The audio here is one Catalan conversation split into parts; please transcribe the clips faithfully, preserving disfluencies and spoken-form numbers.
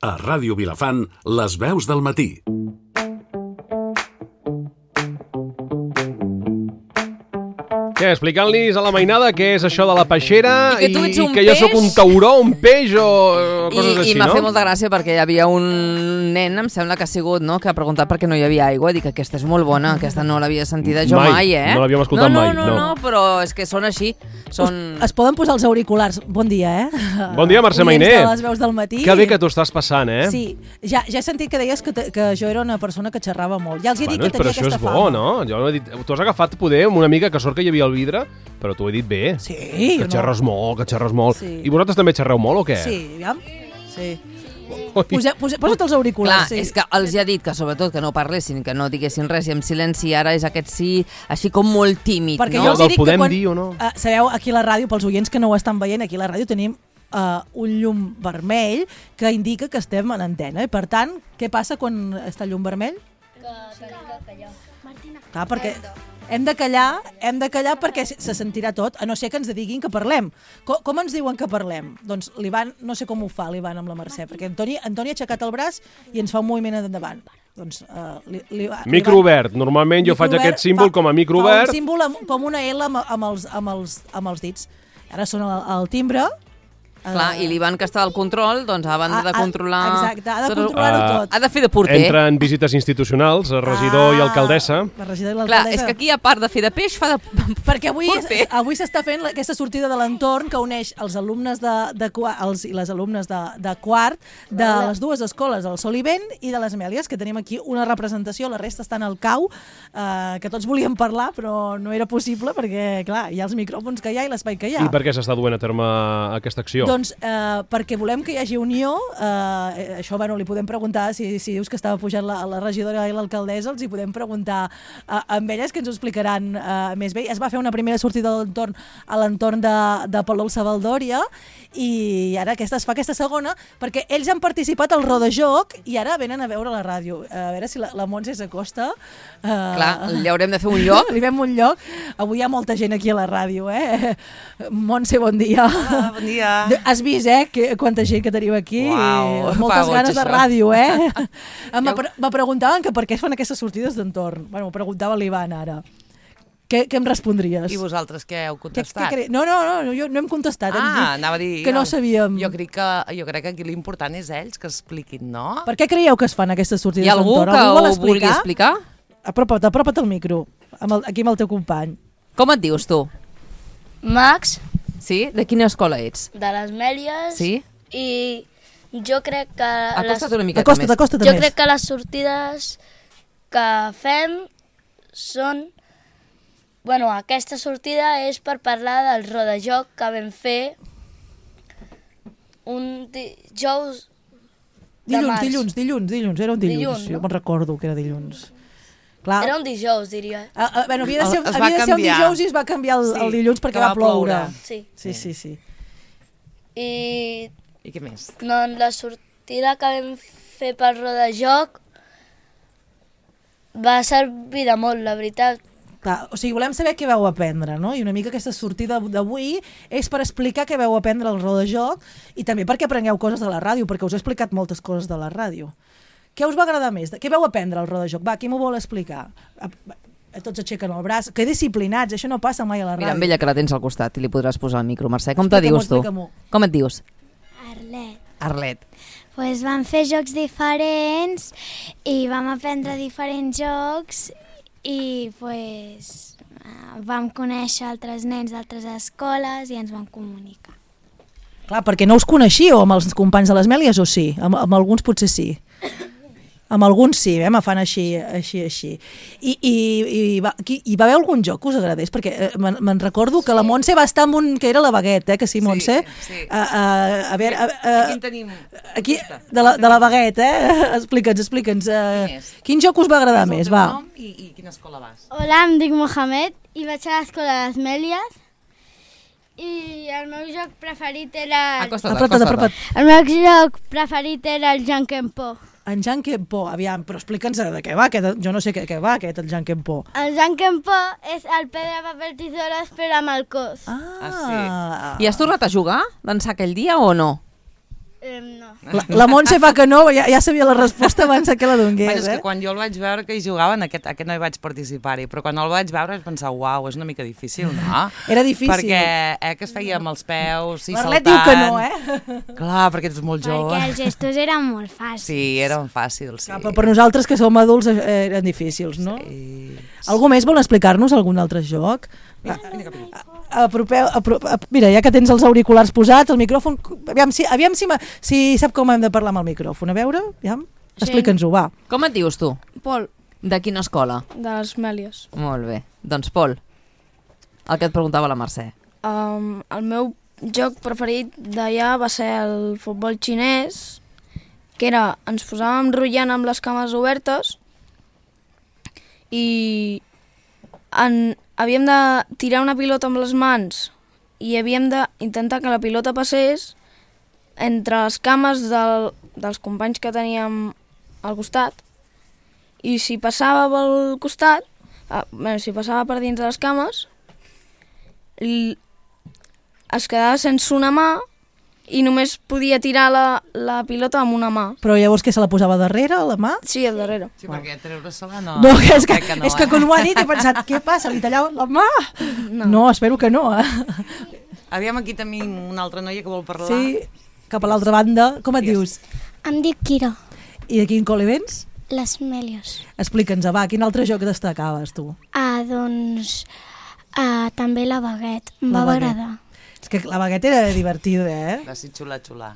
A Ràdio Vilafant, les veus del matí. Què, explicant-los a la mainada què és això de la peixera I que tu ets i, un i que jo peix? sóc un tauró, un peix o eh, coses I, així, I m'ha no? fet molta gràcia perquè hi havia un nen, em sembla que ha sigut, no?, que ha preguntat per què no hi havia aigua. Dic que aquesta és molt bona, aquesta no l'havia sentida jo Mai, mai, eh? no l'havíem escoltat no, no, mai, No, no. no, però és que són així. Són... Es poden posar els auriculars. Bon dia, eh? Bon dia, Mercè Oients Mainer. de les veus del matí. Que bé que t'ho estàs passant, eh? Sí, ja, ja he sentit que deies que, te, que jo era una persona que xerrava molt. Ja els he dit Bueno, que però tenia això aquesta és bo, fama. no? Jo no he dit... Tu has agafat poder amb una mica que sort que hi havia al vidre, però t'ho he dit bé. Sí, Que no. xerres molt, que xerres molt. Sí. I vosaltres també xerreu molt o què? Sí, aviam. Sí. Ui. Posa, posa, posa't els Clar, auriculars. Sí. és que els ha dit que sobretot que no parlessin, que no diguessin res i en silenci, ara és aquest sí, així com molt tímid, Perquè no? jo els he Del dit que podem quan... dir o no? Uh, sabeu, aquí a la ràdio, pels oients que no ho estan veient, aquí a la ràdio tenim uh, un llum vermell que indica que estem en antena. I per tant, què passa quan està el llum vermell? Que tenim que callar. Martina. Clar, perquè hem de callar, hem de callar perquè se se sentirà tot, a no ser que ens diguin que parlem. Com, com ens diuen que parlem? Doncs l'Ivan, no sé com ho fa l'Ivan amb la Mercè, perquè Antoni, Antoni ha aixecat el braç i ens fa un moviment endavant. Doncs, uh, l'Ivan... Micro obert. Normalment jo faig aquest símbol com a micro obert. Fa un símbol amb, com una L amb, amb, els, amb, els, amb els dits. Ara sona el, el timbre. Clar, i l'Ivan, que està al control, doncs a banda de Ah, ah, controlar... exacte, ha de tot- controlar-ho Ah, tot. Ha de fer de porter. Entren visites institucionals, el regidor i alcaldessa. La regidora i Clar, l'alcaldessa. és que aquí, a part de fer de peix, fa de... Perquè avui Porter. avui s'està fent la- aquesta sortida de l'entorn que uneix els alumnes de, de, qua- els, i les alumnes de, de quart de les dues escoles, el Sol i Vent i de les Amèlies, que tenim aquí una representació, la resta estan al cau, eh, que tots volíem parlar, però no era possible perquè, clar, hi ha els micròfons que hi ha i l'espai que hi ha. I per què s'està duent a terme aquesta acció? Doncs eh, perquè volem que hi hagi unió, eh, això bueno, li podem preguntar, si, si dius que estava pujant la, la regidora i l'alcaldessa, els hi podem preguntar eh, amb elles, que ens ho explicaran eh, més bé. Es va fer una primera sortida de l'entorn a l'entorn de, de Palol Savaldòria i ara aquesta es fa aquesta segona perquè ells han participat al rodajoc i ara venen a veure la ràdio. A veure si la, la Montse s'acosta. Eh, Clar, li haurem de fer un lloc. Li fem un lloc. Avui hi ha molta gent aquí a la ràdio, eh? Montse, bon dia. Ah, bon dia. Has vist, eh, que, quanta gent que tenim aquí? Uau, Moltes fa goig, ganes de això. ràdio, eh? Em pre me preguntaven que per què es fan aquestes sortides d'entorn. Bueno, m'ho preguntava l'Ivan ara. Què, què em respondries? I vosaltres què heu Què, contestat? què cre... No, no, no, jo no hem contestat. hem Ah, dit anava a dir... que no sabíem. Jo crec que, jo crec que aquí l'important és ells que expliquin, no? Per què creieu que es fan aquestes sortides Hi ha algú d'entorn? que Algú vol ho vulgui explicar? Apropa't, apropa't al micro, amb el, aquí amb el teu company. Com et dius, tu? Max, Sí? De quina escola ets? de les Mèlies. Sí? I jo crec que... Acosta't una miqueta Acosta't, més. acosta't Jo més. crec que les sortides que fem són... Bueno, aquesta sortida és per parlar del rodajoc que vam fer un dijous de Dilluns, març. dilluns, dilluns, dilluns, era un dilluns. Dilluns, Jo no? me'n recordo que era dilluns. Clar, Era un dijous, diria. ah, ah, bueno, havia de ser, Es va havia de ser un canviar. dijous i es va canviar el, Sí, el dilluns perquè que va va ploure. ploure. Sí. Sí, sí, sí. I I què més? doncs, la sortida que vam fer pel rodajoc va servir de molt, la veritat. Clar, o sigui, volem saber què vau aprendre, no? I una mica aquesta sortida d'avui és per explicar què vau aprendre al rodajoc i també perquè aprengueu coses de la ràdio, perquè us he explicat moltes coses de la ràdio. Què us va agradar més? Què vau aprendre al rodajoc? Va, qui m'ho vol explicar? A, a, tots aixequen el braç. Que disciplinats, això no passa mai a la ràdio. Mira, amb ella que la tens al costat i li podràs posar el micro. Mercè, com te Explica-m'ho, dius tu? explica-m'ho. Com et dius? Arlet. Arlet. Pues vam fer jocs diferents i vam aprendre diferents jocs i pues, eh, vam conèixer altres nens d'altres escoles i ens vam comunicar. Clar, perquè no us coneixíeu amb els companys de les Mèlies o sí? Amb, amb alguns potser sí. Amb alguns sí, eh? Me fan així, així, així. I, i, i, va, qui, hi va haver algun joc que us agradés? Perquè eh, me'n me'n recordo que la Montse va estar amb un... que era la baguette, eh? Que sí, Montse? Sí, sí. A, a, a veure... A, a, Aquí en tenim... Aquí, de la, de la baguette, eh? Explica'ns, explica'ns. Eh, Quin és? quin joc us va agradar És el més? teu Va. nom I, I quina escola vas? Hola, em dic Mohamed i vaig a l'escola de les Mèlies i el meu joc preferit era... Acosta't, Apropa't, acosta't. apropa't. El meu joc preferit era el Jankenpo. En Jankenpo, aviam, però explica'ns de què va, aquest, jo no sé què, què va aquest, el Jankenpo. El Jankenpo és el pedra, paper, tisores, però amb el cos. Ah, Ah, I has tornat a jugar d'ençà aquell dia o no? Eh, no. La, la Montse fa que no, ja, ja sabia la resposta abans que la dongués, Bueno, és eh? que quan jo el vaig veure que hi jugaven, aquest, aquest no hi vaig participar-hi, però quan el vaig veure vaig pensar, uau, és una mica difícil, no? Era difícil. Perquè eh, que es feia amb els peus i L'Arlet saltant. diu que no, eh? Clar, perquè ets molt Perquè jove. els gestos eren molt fàcils. Sí, eren fàcils, sí. Ah, però per nosaltres que som adults eh, eren difícils, no? Sí. Algú més vol explicar-nos algun altre joc? Apropeu, apropeu, mira, ja que tens els auriculars posats, el micròfon, aviam si, aviam si, ma, si sap com hem de parlar amb el micròfon, a veure, aviam, explica'ns-ho, va. Com et dius tu? Pol, De quina escola? de les Mèlies. Molt bé. Doncs Pol, el que et preguntava la Mercè. Um, el meu joc preferit d'allà va ser el futbol xinès, que era, ens posàvem rotllant amb les cames obertes i en, havíem de tirar una pilota amb les mans i havíem d'intentar que la pilota passés entre les cames del, dels companys que teníem al costat, i si passava pel costat, ah, bueno, si passava per dins de les cames, l- es quedava sense una mà i només podia tirar la, la pilota amb una mà. Però llavors que se la posava darrere, a la mà? Sí, al darrere. Sí, perquè treure-se-la no... No, és que, crec que no, és que eh? quan ho ha dit he pensat, què passa, li tallava la mà? No, no espero que no, eh? Aviam, aquí tenim una altra noia que vol parlar. Sí, cap a l'altra banda. Com et dius? Em dic Kira, I de quin col·le vens? les Mèlies. Explica'ns, va, quin altre joc destacaves tu? Ah, doncs, ah, també la baguet, em La va baguet. agradar. És que la bagueta era divertida, eh? Va ser xula-xula.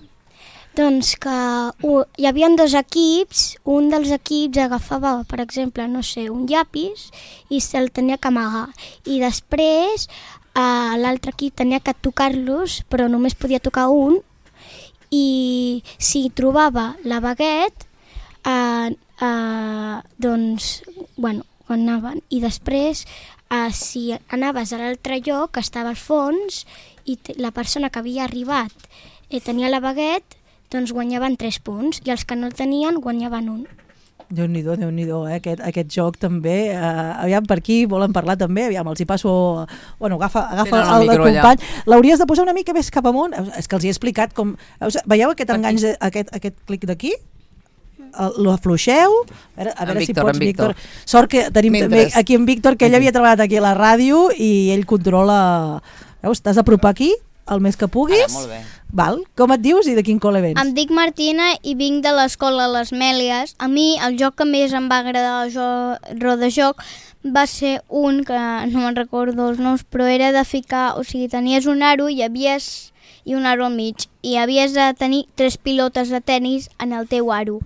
Doncs que uh, hi havia dos equips, un dels equips agafava, per exemple, no sé, un llapis i se'l tenia que amagar. I després uh, l'altre equip tenia que tocar-los, però només podia tocar un, i si trobava la baguet, uh, uh, doncs, bueno, quan anaven. I després, uh, si anaves a l'altre lloc, estava al fons, i te- la persona que havia arribat eh, tenia la baguet, doncs guanyaven tres punts, i els que no el tenien guanyaven un. Déu-n'hi-do, Déu-n'hi-do, eh? aquest, aquest joc també. Uh, aviam, per aquí volen parlar també, aviam, els hi passo... Bueno, agafa, agafa Tenen el el, el micro allà. company. L'hauries de posar una mica més cap amunt. És que els hi he explicat com... Veus, veieu aquest enganys, de- aquest, aquest clic d'aquí? El- Lo afluixeu? A veure, a En veure si Víctor, pots, en Víctor. Sort que tenim Mentres. també aquí en Víctor, que ell havia treballat aquí a la ràdio i ell controla... Veus, t'has d'apropar aquí el més que puguis. Ara, molt bé. Val? Com et dius i de quin col·le vens? Em dic Martina i vinc de l'escola Les Mèlies. A mi el joc que més em va agradar al jo- rodajoc va ser un que no me'n recordo els noms, però era de ficar, o sigui, tenies un aro i havies i un aro al mig i havies de tenir tres pilotes de tennis en el teu aro.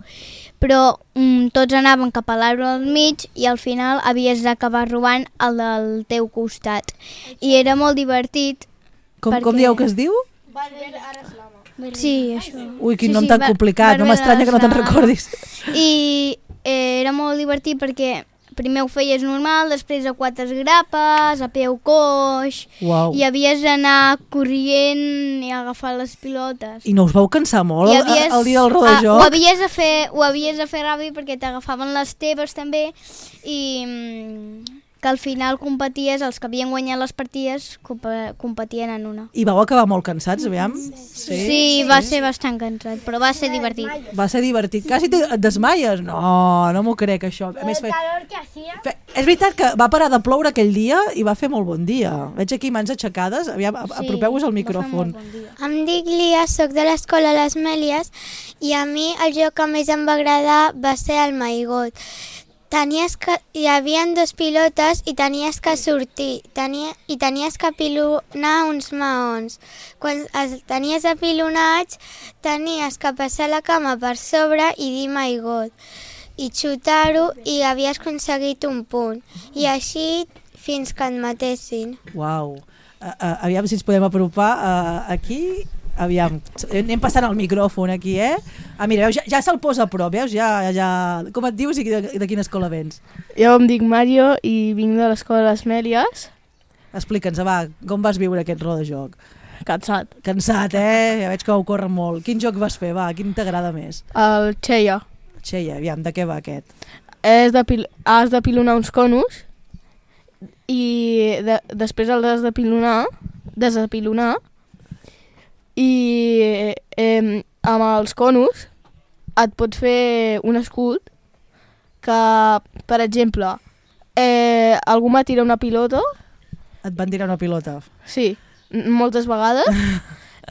Però mm, tots anaven cap a l'aro al mig i al final havies d'acabar robant el del teu costat. I era molt divertit. Com, com perquè- dieu que es diu? Sí, això. Ui, quin Sí, nom sí, tan Bar- complicat, no Bàrbara m'estranya que no te'n Sala. recordis. I eh, era molt divertit perquè primer ho feies normal, després a quatre grapes, a peu coix, Uau. i havies d'anar corrient i agafar les pilotes. I no us vau cansar molt I el, havies- el dia del ah, rodajoc? ho havies de fer, ho havies de fer ràpid perquè t'agafaven les teves també i mm, que al final competies, els que havien guanyat les partides compe- competien en una. I vau acabar molt cansats, aviam? Sí, sí, va ser bastant cansat, però va ser divertit. Va ser divertit. Quasi te- et desmaies? No, no m'ho crec, això. A més, fe... Fe... És veritat que va parar de ploure aquell dia i va fer molt bon dia. Veig aquí mans aixecades. Aviam, a- apropeu-vos al micròfon. Em dic Lia, soc de l'escola Les Mèlies i a mi el joc que més em va agradar va ser el Maigot. Tenies que, hi havia dos pilotes i tenies que sortir tenia, i tenies que pilonar uns maons. Quan els tenies apilonats tenies que passar la cama per sobre i dir Maigot i xutar-ho i havies aconseguit un punt. I així fins que et matessin. Uau. Uh, uh, aviam si ens podem apropar uh, aquí. Aviam, anem passant el micròfon aquí, eh? Ah, mira, veus, ja, ja se'l posa a prop, veus? Ja, ja... Com et dius i de, de quina escola vens? Jo em dic Mario i vinc de l'escola Les Mèlies. Explica'ns, va, com vas viure aquest rodajoc? Cansat. Cansat, eh? Ja veig que ho corre molt. Quin joc vas fer, va? Quin t'agrada més? El Cheia. Xeia, aviam, de què va aquest? És de pil... Has de pilonar uns conos i de... després els has de pilonar, desapilonar, i eh, amb els conos et pots fer un escut que, per exemple, eh, algú m'ha tirat una pilota. Et van tirar una pilota? Sí, moltes vegades.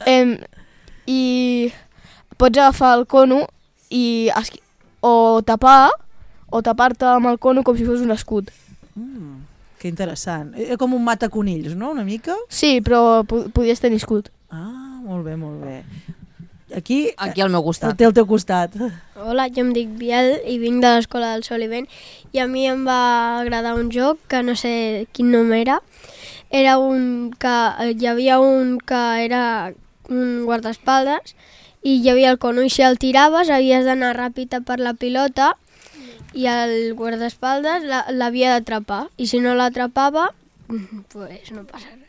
eh, I pots agafar el cono i esqui- o tapar o tapar-te amb el cono com si fos un escut. Mm, que interessant. Era com un mataconills, no?, una mica? Sí, però po- podies tenir escut. Ah, molt bé, molt bé. Aquí, Aquí al meu costat. El té al teu costat. Hola, jo em dic Biel i vinc de l'Escola del Sol i Vent i a mi em va agradar un joc que no sé quin nom era. Era un que hi havia un que era un guardaespaldes i hi havia el cono i si el tiraves havies d'anar ràpid per la pilota i el guardaespaldes la- l'havia d'atrapar i si no l'atrapava, pues no passa res.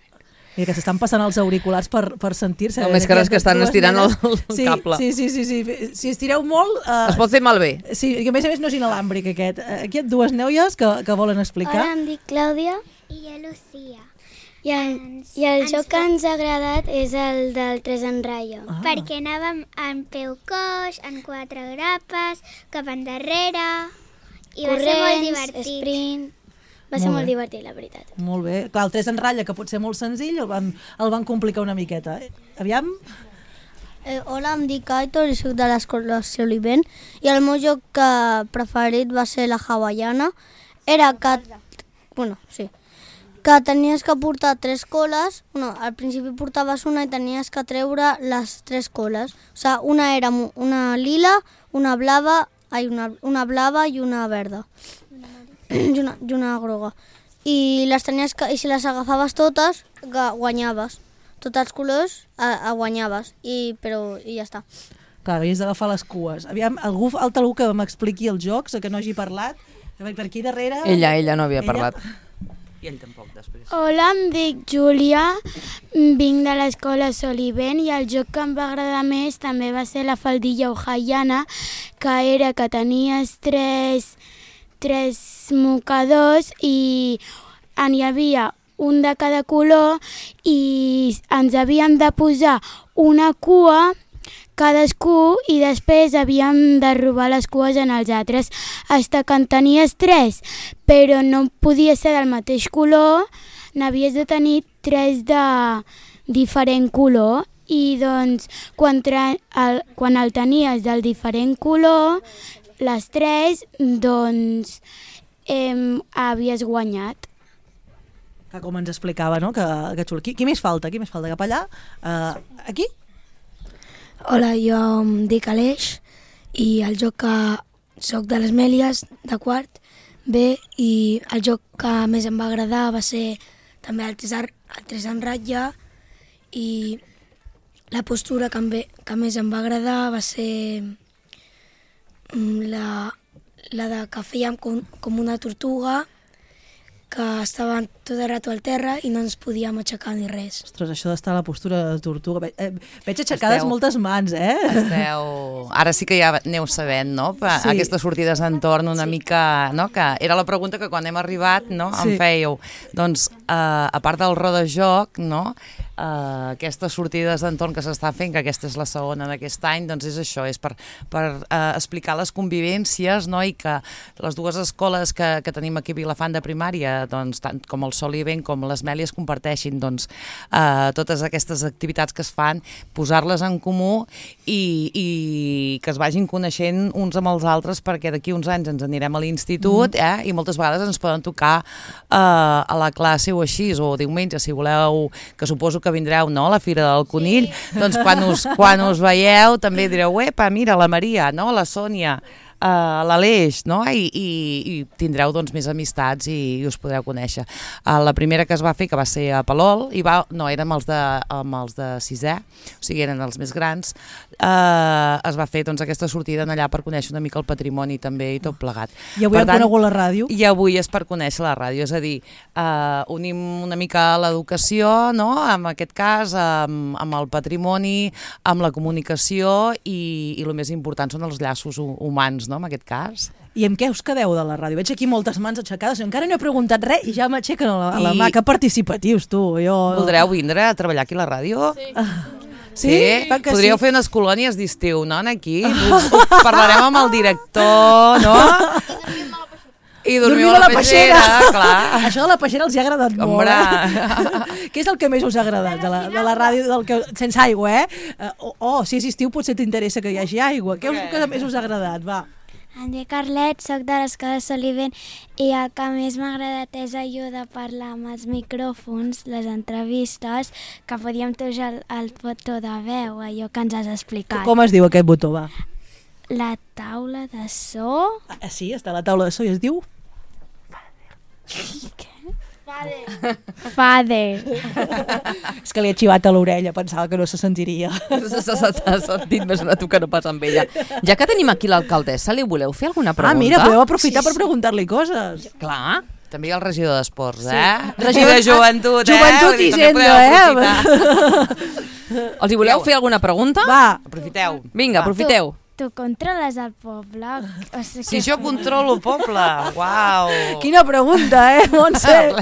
Mira, que s'estan passant els auriculars per, per sentir-se. No, més que res que estan Dues estirant el, nenes. el sí, cable. Sí, sí, sí, sí. Si estireu molt... Uh, Es pot fer malbé. Sí, i a més a més no és inalàmbric aquest. Aquí hi ha dues noies que, que volen explicar. Hola, em dic Clàudia. I jo, Lucía. I el, i el joc que ens ha agradat és el del tres en ratlla. Ah. Perquè anàvem en peu coix, en quatre grapes, cap endarrere, i va ser molt divertit. sprint... Va ser Molt molt, bé. divertit, la veritat. Molt bé. Clar, el tres en ratlla, que pot ser molt senzill, el van, el van complicar una miqueta. Aviam? Eh, hola, em dic Aitor i soc de l'Escola Sol i Vent i el meu joc que preferit va ser la hawaiana. Era que... Bueno, sí. Que tenies que portar tres coles. No, al principi portaves una i tenies que treure les tres coles. O sigui, una era mo- una lila, una blava, ai, una, una blava i una verda. I una, i una groga. I, les tenies que, i si les agafaves totes, ga- guanyaves. Tots els colors a, a guanyaves, I, però i ja està. Clar, havies d'agafar les cues. Aviam, algú, altre algú que m'expliqui els jocs, que no hagi parlat. Per aquí darrere... Ella, ella no havia parlat. I ell tampoc, després. Hola, em dic Júlia, vinc de l'Escola Sol i Vent i el joc que em va agradar més també va ser la faldilla hawaiana, que era que tenies tres, tres mocadors i en hi havia un de cada color i ens havíem de posar una cua cadascú i després havíem de robar les cues en els altres fins que en tenies tres, però no podia ser del mateix color, n'havies de tenir tres de diferent color i doncs quan, tra- el, quan el tenies del diferent color, les tres, doncs eh, havies guanyat. Que com ens explicava, no? Que, que xulo. Qui, qui més falta? Qui més falta? Cap allà? Uh, aquí? Hola, jo em dic Aleix i el joc que soc de les Mèlies, de quart B, i el joc que més em va agradar va ser també el tres, el tres en ratlla i la postura que, em ve, que més em va agradar va ser la, la de que fèiem com, com una tortuga que estaven tot el rato al terra i no ens podíem aixecar ni res. Ostres, això d'estar a la postura de tortuga... Ve, eh, veig aixecades Esteu- moltes mans, eh? Esteu... Ara sí que ja aneu sabent, no? Pa, Sí. Aquestes sortides d'entorn una sí. mica... No? Que era la pregunta que quan hem arribat no? Sí. em fèieu. Doncs, eh, a part del rodajoc, no? eh, aquestes sortides d'entorn que s'està fent, que aquesta és la segona d'aquest any, doncs és això, és per, per eh, explicar les convivències, no? I que les dues escoles que, que tenim aquí a Vilafant de primària, doncs, tant com el Sol i Vent com les Mèlies comparteixin doncs, eh, totes aquestes activitats que es fan, posar-les en comú i, i que es vagin coneixent uns amb els altres, perquè d'aquí uns anys ens anirem a l'institut mm. eh, i moltes vegades ens poden tocar eh, a la classe o així, o diumenge, si voleu, que suposo que vindreu, no?, a la Fira del Conill, sí. Doncs quan us, quan us veieu també direu, epa, mira, la Maria, no?, la Sònia, Uh, l'Aleix, no? I, i, i tindreu doncs més amistats i, i us podreu conèixer. Uh, la primera que es va fer, que va ser a Palol, i va, no, érem els de, amb els de sisè, o sigui, eren els més grans, uh, es va fer doncs aquesta sortida allà per conèixer una mica el patrimoni també i tot plegat. I avui hem conegut la ràdio? I avui és per conèixer la ràdio, és a dir, uh, unim una mica l'educació, no?, en aquest cas, amb, amb el patrimoni, amb la comunicació i, i el més important són els llaços humans, no, en aquest cas. I amb què us quedeu de la ràdio? Veig aquí moltes mans aixecades, encara no he preguntat res i ja m'aixequen a la, a la I... mà. Que participatius, tu. Jo... Voldreu vindre a treballar aquí a la ràdio? Sí. Sí? Va que Podríeu sí. fer unes colònies d'estiu, no, aquí? Us, us parlarem amb el director, no? I dormiu a la peixera, clar. Això de la peixera els ha agradat molt. Hombre. Eh? Què és el que més us ha agradat de la, de la ràdio del que, sense aigua, eh? Uh, oh, si és estiu potser t'interessa que hi hagi aigua. Què us, que més us ha agradat? Va. Em dic Carlet, soc de l'escola Solivent i el que més m'ha agradat és allò de parlar amb els micròfons, les entrevistes, que podíem tocar el, el botó de veu, allò que ens has explicat. Com es diu aquest botó, va? La taula de so? Ah, sí, està a la taula de so i es diu... Fader. Fader. És que li he xivat a l'orella, pensava que no se sentiria. S'ha sentit més una tu que no pas amb ella. Ja que tenim aquí l'alcaldessa, li voleu fer alguna pregunta? Ah, mira, podeu aprofitar sí, sí. per preguntar-li coses. Clar. També hi ha el regidor d'Esports, eh? Sí. Regidor de Joventut, eh? Joventut i Hisenda, eh? Els hi voleu fer alguna pregunta? Va. Aprofiteu. Vinga, aprofiteu. Tu controles el poble? O sigui, si jo controlo el poble, uau! Quina pregunta, eh, Montse?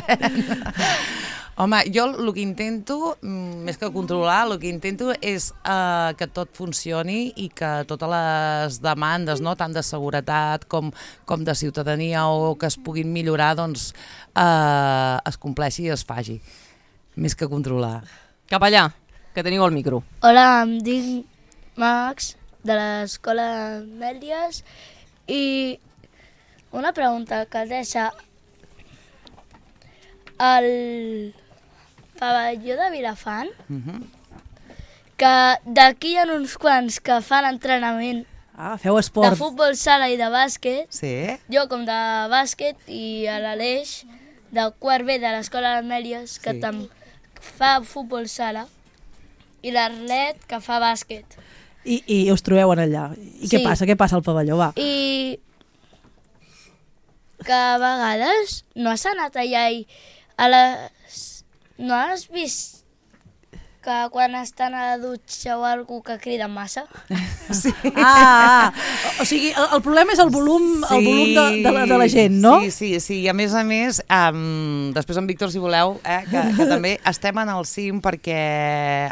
Home, jo el que intento, més que controlar, el que intento és eh, que tot funcioni i que totes les demandes, no, tant de seguretat com, com de ciutadania o que es puguin millorar, doncs eh, es compleixi i es faci, més que controlar. Cap allà, que teniu el micro. Hola, em dic Max, de l'escola Mèlies, i una pregunta, alcaldessa. El pavelló de Vilafant, uh-huh. que d'aquí hi ha uns quants que fan entrenament ah, feu esport. de futbol sala i de bàsquet, sí. jo com de bàsquet, i a l'Aleix, de quart B de l'escola Mèlies, que sí. tam fa futbol sala, i l'Arlet, que fa bàsquet. I, I us trobeu en allà. I sí. què passa? Què passa al pavelló? Va. I que a vegades no has anat allà i a les... no has vist que quan estan a la dutxa o algú que crida massa? Sí. Ah, ah, o sigui, el, el problema és el volum, sí, el volum de, de, la, de la gent, no? Sí, sí, sí, i a més a més, um, després en Víctor, si voleu, eh, que, que també estem en el cim perquè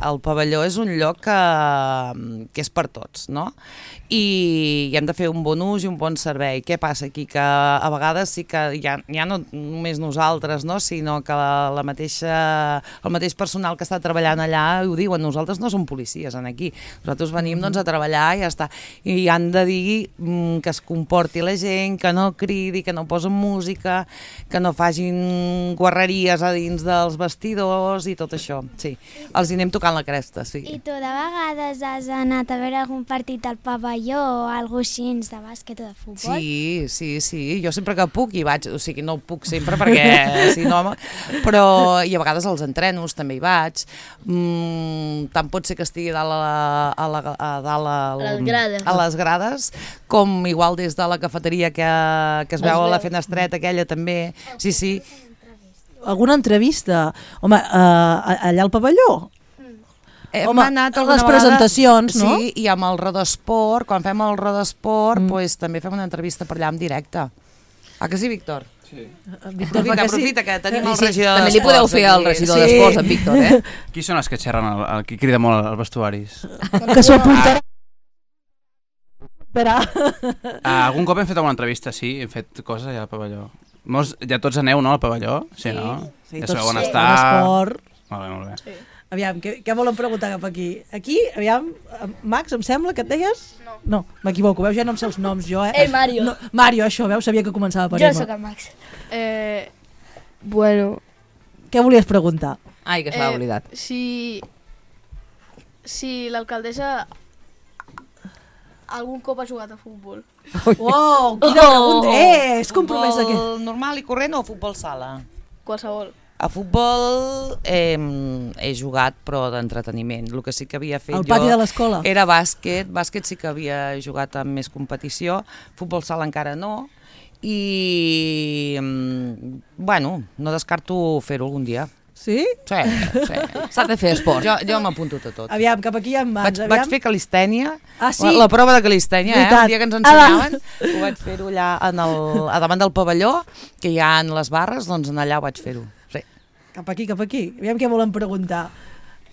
el pavelló és un lloc que, que és per tots, no? I hem de fer un bon ús i un bon servei. Què passa aquí? Que a vegades sí que ja, ja no només nosaltres, no? Sinó que la, la mateixa, el mateix personal que està treballant allà ho diuen, nosaltres no som policies en aquí, nosaltres venim doncs, a treballar i ja està, i han de dir mm, que es comporti la gent, que no cridi, que no posen música, que no facin guarreries a dins dels vestidors i tot això, sí, els hi anem tocant la cresta, sí. I tu de vegades has anat a veure algun partit al pavelló o alguna cosa així de bàsquet o de futbol? Sí, sí, sí, jo sempre que puc hi vaig, o sigui, no puc sempre perquè si no, però i a vegades als entrenos també hi vaig, mm, tant pot ser que estigui a, la, a, la, a, dalt a, a, les grades. a les grades, com igual des de la cafeteria que, que es veu a la fenestreta aquella també, sí, sí. Alguna entrevista? Home, uh, allà al pavelló? Hem Home, anat les vegada, presentacions, no? Sí, i amb el Rodesport, quan fem el Rodesport, mm. pues, també fem una entrevista per allà en directe. Ah, que sí, Víctor? Sí. Víctor, aprofita, que aprofita, sí. que tenim el sí, regidor també li podeu fer al regidor sí. d'Esports, en Víctor, eh? Qui són els que xerren, el, el que crida molt als vestuaris? Que s'ho apuntarà. Ah, algun cop hem fet alguna entrevista, sí, hem fet coses allà al pavelló. Molts, ja tots aneu, no, al pavelló? Sí, sí no? Sí, ja tots sabeu on sí. està. Esport. Molt bé, molt bé. Sí. Aviam, què, què volen preguntar cap aquí? Aquí, aviam, Max, em sembla que et deies? No. No, m'equivoco, veus, ja no em sé els noms jo, eh? Eh, Mario. No, Mario, això, veus, sabia que començava per jo Emma. Jo sóc el Max. Eh, bueno... Què volies preguntar? Ai, que se l'ha eh, oblidat. Si... Si l'alcaldessa algun cop ha jugat a futbol. Uau, quina pregunta! Eh, és compromès futbol aquest. normal i corrent o futbol sala? Qualsevol. A futbol eh, he jugat, però d'entreteniment. El que sí que havia fet jo... Al pati de l'escola? Era bàsquet. Bàsquet sí que havia jugat amb més competició. Futbol sala encara no. I, bueno, no descarto fer-ho algun dia. Sí? Sí, sí. S'ha de fer esport. Jo, jo m'apunto a tot. Aviam, cap aquí hi ha mans. Vaig, vaig fer calistènia, ah, sí? la, la prova de calistènia, eh? Un dia que ens ensenyaven, ah, ho vaig fer-ho allà en el, a davant del pavelló, que hi ha en les barres, doncs allà ho vaig fer-ho. Sí. Cap aquí, cap aquí. Aviam què volen preguntar.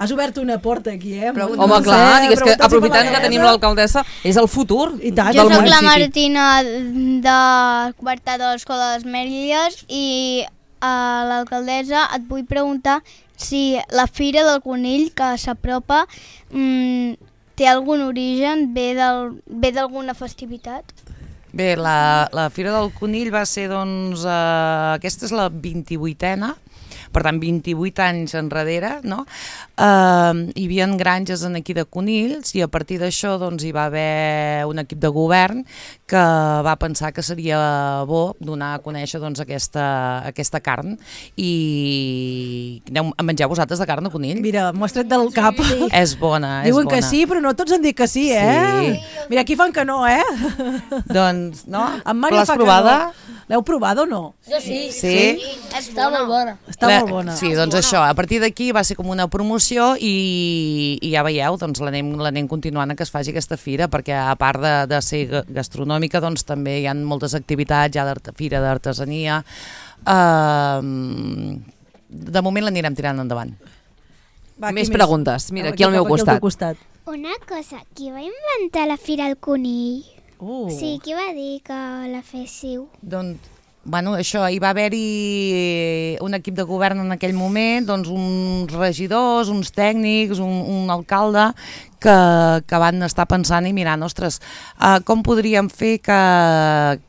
Has obert una porta aquí, eh? Però, home, clar, digues que aprofitant que tenim l'alcaldessa, és el futur I tant, Jo del soc la municipi. Martina de quarta de l'Escola de les Mèlies i a l'alcaldessa et vull preguntar si la Fira del Conill que s'apropa mmm, té algun origen, ve del- ve d'alguna festivitat? Bé, la, la Fira del Conill va ser, doncs, eh, aquesta és la vint-i-vuitena, per tant, vint-i-vuit anys enrere, no? Eh, hi havia granges en aquí de conills i a partir d'això doncs, hi va haver un equip de govern que va pensar que seria bo donar a conèixer doncs, aquesta, aquesta carn. I aneu a menjar vosaltres de carn de conill? Mira, m'ho has tret del cap. Sí. És bona, és Diuen bona. que sí, però no tots han dit que sí, eh? Sí. Mira, aquí fan que no, eh? Doncs, no? En Mario L'has fa que provada? no. L'heu provada o no? Jo sí. Sí? Està molt bona. Està La- molt bona. Sí, doncs això, a partir d'aquí va ser com una promoció i, i ja veieu, doncs l'anem l'anem continuant a que es faci aquesta fira, perquè a part de, de ser ga- gastronòmica, doncs també hi ha moltes activitats, hi ha d'art- fira d'artesania. Uh, de moment l'anirem tirant endavant. Va, Més preguntes. Mira, aquí al meu cap costat. teu costat. Una cosa, qui va inventar la Fira del Conill? Uh. Sí, qui va dir que la féssiu? Doncs, bueno, això, hi va haver-hi un equip de govern en aquell moment, doncs uns regidors, uns tècnics, un, un alcalde, que, que van estar pensant i mirant, ostres, uh, com podríem fer que,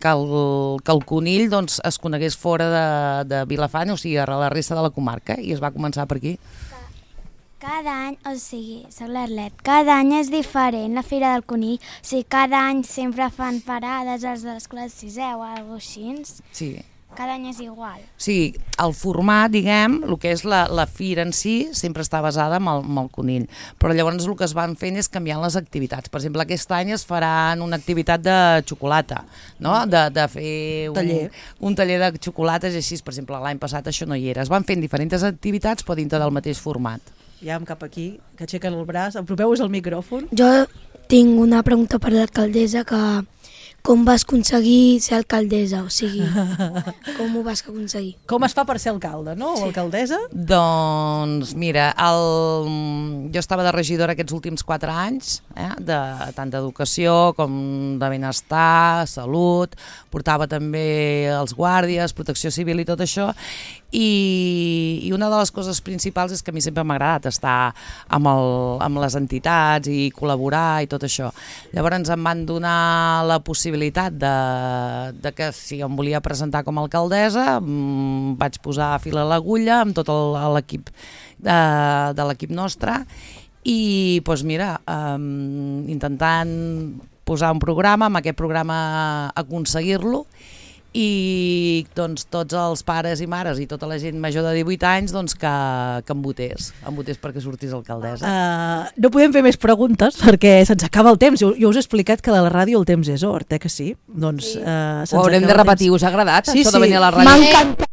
que, el, que el conill doncs, es conegués fora de, de Vilafant, o sigui, a la resta de la comarca, i es va començar per aquí. Cada any, o sigui, soc l'Arlet, cada any és diferent la Fira del Conill. O sigui, cada any sempre fan parades els de l'escola de sisè o alguna cosa així. Sí. Cada any és igual. O sigui, el format, diguem, el que és la, la fira en si, sempre està basada en el, en el conill. Però llavors el que es van fent és canviant les activitats. Per exemple, aquest any es faran una activitat de xocolata, no? De, de fer un Taller. un taller de xocolates i així. Per exemple, l'any passat això no hi era. Es van fent diferents activitats però dintre del mateix format. Ja em cap aquí, que aixequen el braç. Apropeu-vos al micròfon. Jo tinc una pregunta per l'alcaldessa, que com vas aconseguir ser alcaldessa? O sigui, com ho vas aconseguir? Com es fa per ser alcalde, no? O alcaldessa? Doncs mira, el... jo estava de regidora aquests últims quatre anys, eh? de, tant d'educació com de benestar, salut, portava també els guàrdies, protecció civil i tot això, i, i una de les coses principals és que a mi sempre m'ha agradat estar amb, el, amb les entitats i col·laborar i tot això. Llavors em van donar la possibilitat de, de que si em volia presentar com a alcaldessa, mm, vaig posar fil a l'agulla amb tot el- l'equip de, de l'equip nostre i doncs mira, um, intentant posar un programa, amb aquest programa aconseguir-lo, i doncs tots els pares i mares i tota la gent major de divuit anys doncs que, que em votés, em votés perquè sortís alcaldessa. Uh, no podem fer més preguntes perquè se'ns acaba el temps. Jo, jo us he explicat que a la ràdio el temps és or, eh que sí? Doncs, uh, Ho haurem de repetir. Us ha agradat, sí, això sí. de venir a la ràdio? M'ha encantat.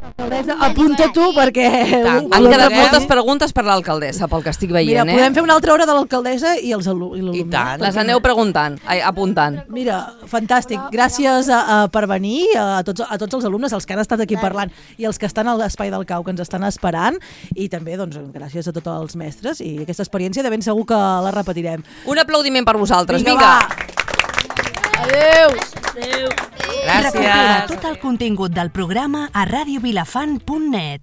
Alcaldessa, apunta tu perquè... Tant. Han quedat moltes preguntes per l'alcaldessa, pel que estic veient, Mira, eh? podem fer una altra hora de l'alcaldessa i els alumnes. I tant. Les aneu preguntant, ai, apuntant. Mira, fantàstic. Gràcies a, a, per venir a tots, a tots els alumnes, els que han estat aquí parlant i els que estan a l'Espai del Cau, que ens estan esperant, i també doncs, gràcies a tots els mestres i aquesta experiència de ben segur que la repetirem. Un aplaudiment per vosaltres, Vinga, vinga! va. Adéu! Adéu! Gràcies. Recupera tot el contingut del programa a radiovilafant punt net.